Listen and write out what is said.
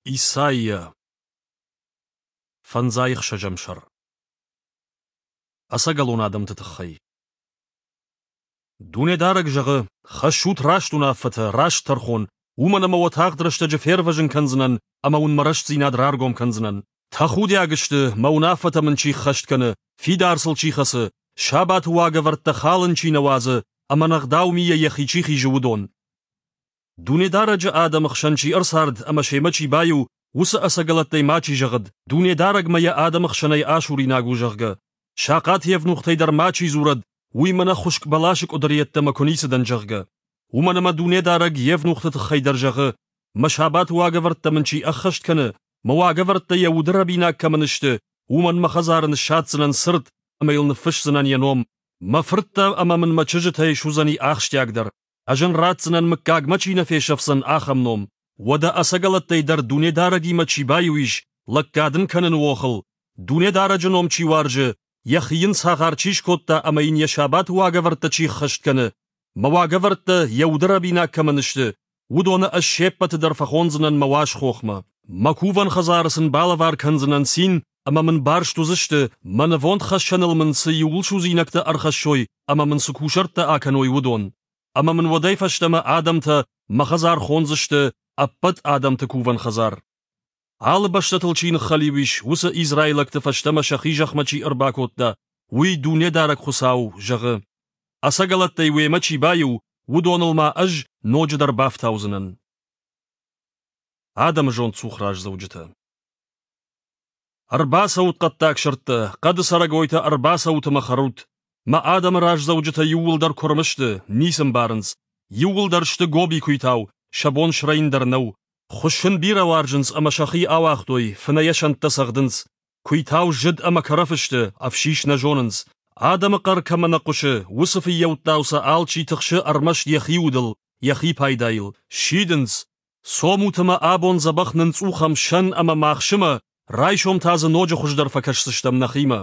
Исайя Фӕндзай ӕхсӕзӕм сӕр Ӕцӕгӕлон адӕмты тыххӕй Дунедарӕг зӕгъы: Хӕссут раст уынаффӕтӕ, раст тӕрхон, уымӕн ӕмӕ уӕ тагъд рӕстӕджы фервӕзын кӕндзынӕн ӕмӕ уын мӕ рӕстдзинад раргом кӕндзынӕн. Тӕхудиаг сты, мӕ уынаффӕтӕ мын чи ххӕст кӕны, фидар сыл чи хӕцы, сабаты уагӕвӕрдтӕ халын чи нӕ уадзы ӕмӕ ӕнӕгъдау мийӕ йӕхи чи хизы, уыдон. Дунедарӕджы адӕмы хсӕн чи ӕрцард ӕмӕ семӕ чи баиу, уыцы ӕцӕгӕлӕттӕй мачи зӕгъӕд, Дунедарӕг мӕ йӕ адӕмы хсӕнӕй асуринаг у, зӕгъгӕ. Сахъат евнухтӕй дӕр мачи дзурӕд, уый мӕнӕ хуыскъ бӕласы къуыдыр йеддӕмӕ куы ницы дӕн, зӕгъгӕ. Уымӕн ӕмӕ Дунедарӕг евнухты тыххӕй дӕр зӕгъы, мӕ сабаты уагӕвӕрдтӕ мын чи ӕххӕст кӕны, мӕ уагӕвӕрдтӕ йӕ уды рӕбинаг кӕмӕн сты, уымӕн мӕ хӕдзары ныссадздзынӕн цырт ӕмӕ йыл ныффысдзынӕн йӕ ном. Мӕ фырттӕ ӕмӕ мын мӕ чызджытӕй суыдзӕни ахсджиагдӕр. Ӕз ын ратдзынӕн, мыггагмӕ чи нӕ фесӕфдзӕн, ахӕм ном. Уӕдӕ ӕцӕгӕлӕттӕй дӕр Дунедарӕгимӕ чи баиу ис, лӕггад ын кӕныны охыл, Дунедарӕджы ном чи уарзы, йӕхи йын цагъар чи скодта ӕмӕ йын йӕ сабаты уагӕвӕрдтӕ чи ххӕст кӕны, мӕ уагӕвӕрдтӕ йӕ уды рӕбинаг кӕмӕн сты, уыдоны ӕз се ппӕты дӕр фӕхондзынӕн мӕ уаз хохмӕ. Мӕ кувӕн хӕдзары сын балӕвар кӕндзынӕн цин ӕмӕ мын барст уыдзысты, мӕ нывондхӕссӕныл мын цы иууылсудзинӕгтӕ ӕрхӕссой ӕмӕ мын цы кусӕрттӕ акӕной, уыдон. Ӕмӕ мын уӕдӕй фӕстӕмӕ адӕмтӕ мӕ хӕдзар хондзысты ӕппӕт адӕмты кувӕн хӕдзар. Алы бӕстӕтыл чи ныххӕлиу ис, уыцы израилӕгты фӕстӕмӕ сӕхи зӕхмӕ чи ӕрбакодта, уый Дунедарӕг Хуыцау зӕгъы: Ӕцӕгӕлӕттӕй уемӕ чи баиу, уыдоныл ма ӕз ноджыдӕр бафтаудзынӕн. Адӕмы зондцух раздзӕуджытӕ Ӕрбацӕут, хъӕддаг сырдтӕ, хъӕды цӕрӕгойтӕ, ӕрбацӕут ӕмӕ хӕрут! Мӕ адӕмы раздзӕуджытӕ иууылдӕр куырм сты, ницы мбарынц. Иууылдӕр сты гоби куыйтау, сӕ бон срӕйын дӕр нӕу. Хуыссын бирӕ уарзынц ӕмӕ сӕхи ауагътой, фынӕйӕ сӕнттӕ цӕгъдынц. Куыйтау зыд ӕмӕ кӕрӕф сты, ӕфсис нӕ зонынц. Адӕмы хъӕр кӕмӕ нӕ хъуысы, уыцы фыййӕуттау сӕ алчи тыхсы ӕрмӕст йӕхи удыл, йӕхи пайдайыл. Сидынц, цомут ӕмӕ абон дзӕбӕх нынцъухӕм сӕн ӕмӕ махсымӕ, райсом та дзы ноджы хуыздӕр фӕкӕсдзыстӕм нӕхимӕ.